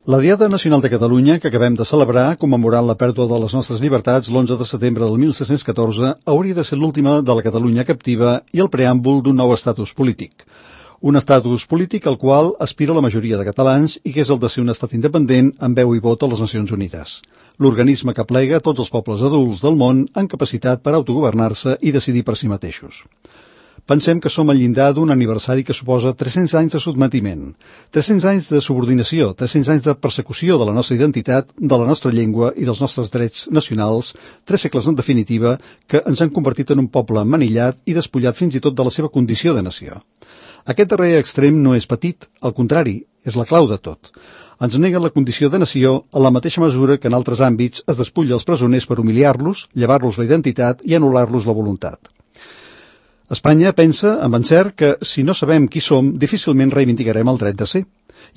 La Diada Nacional de Catalunya, que acabem de celebrar, commemorant la pèrdua de les nostres llibertats l'11 de setembre del 1714, hauria de ser l'última de la Catalunya captiva i el preàmbul d'un nou estatus polític. Un estatus polític al qual aspira la majoria de catalans i que és el de ser un estat independent amb veu i vot a les Nacions Unides. L'organisme que plega tots els pobles adults del món amb capacitat per autogovernar-se i decidir per si mateixos. Pensem que som al llindar d'un aniversari que suposa 300 anys de sotmetiment, 300 anys de subordinació, 300 anys de persecució de la nostra identitat, de la nostra llengua i dels nostres drets nacionals, 3 segles en definitiva que ens han convertit en un poble manillat i despullat fins i tot de la seva condició de nació. Aquest darrer extrem no és petit, al contrari, és la clau de tot. Ens neguen la condició de nació en la mateixa mesura que en altres àmbits es despulla els presoners per humiliar-los, llevar-los la identitat i anul·lar-los la voluntat. Espanya pensa, amb encert, que si no sabem qui som, difícilment reivindicarem el dret de ser,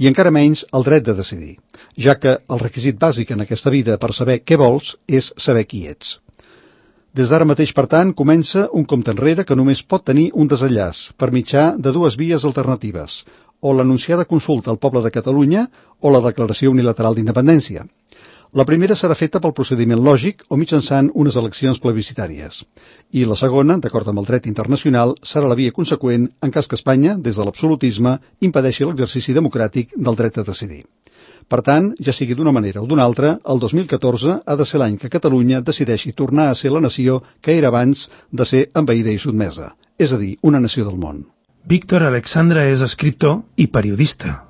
i encara menys el dret de decidir, ja que el requisit bàsic en aquesta vida per saber què vols és saber qui ets. Des d'ara mateix, per tant, comença un compte enrere que només pot tenir un desenllaç, per mitjà de 2 vies alternatives, o l'anunciada consulta al poble de Catalunya o la declaració unilateral d'independència. La primera serà feta pel procediment lògic o mitjançant unes eleccions plebiscitàries. I la segona, d'acord amb el dret internacional, serà la via conseqüent en cas que Espanya, des de l'absolutisme, impedeixi l'exercici democràtic del dret a decidir. Per tant, ja sigui d'una manera o d'una altra, el 2014 ha de ser l'any que Catalunya decideixi tornar a ser la nació que era abans de ser envaïda i sotmesa, és a dir, una nació del món. Víctor Alexandre és escriptor i periodista.